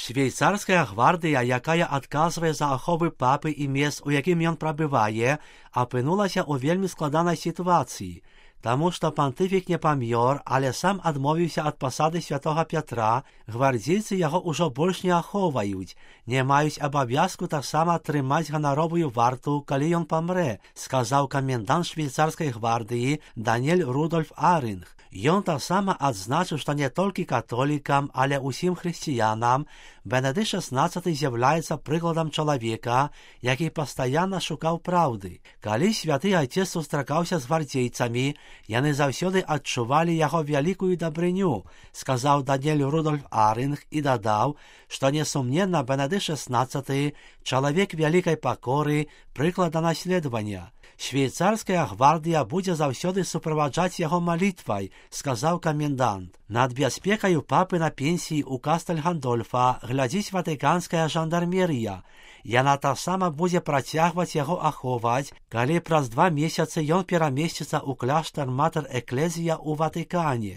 Швейцарская гвардія, якая адказвае за аховы папы і месц, у якім ён прабывае, апынулася ў вельмі складанай сітуацыі, таму што пантыфік не памёр, але сам адмовіўся ад пасады святога Пятра, гвардзейцы яго ўжо больш не ахоўваюць, не маюць абавязку таксама трымаць ганаровую варту, калі ён памрэ, сказаў камендант швейцарскай гвардыі Даниэль Рудольф Аринг. Ён таксама адзначыў, што не толькі католікам, але ўсім хрысціянам Бенедыкт XVI з'яўляецца прыкладам чалавека, які пастаянна шукаў праўды. Калі святы айцец сустракаўся з гвардзейцамі, яны заўсёды адчувалі яго вялікую дабрыню, сказаў Даниэль Рудольф Аринг і дадаў, што несумненна Бенедыкт XVI чалавек вялікай пакоры, прыклада наследавання. Швейцарская гвардія будзе заўсёды суправаджаць яго малітвай, сказаў камендант. Над бяспекаю папы на пенсіі ў Кастэль-Гандольфа глядзіць ватыканская жандармерыя. Яна таксама будзе працягваць яго ахоўваць, калі праз 2 месяцы ён перамесціцца ў кляштар Матэр Эклезія ў Ватыкане.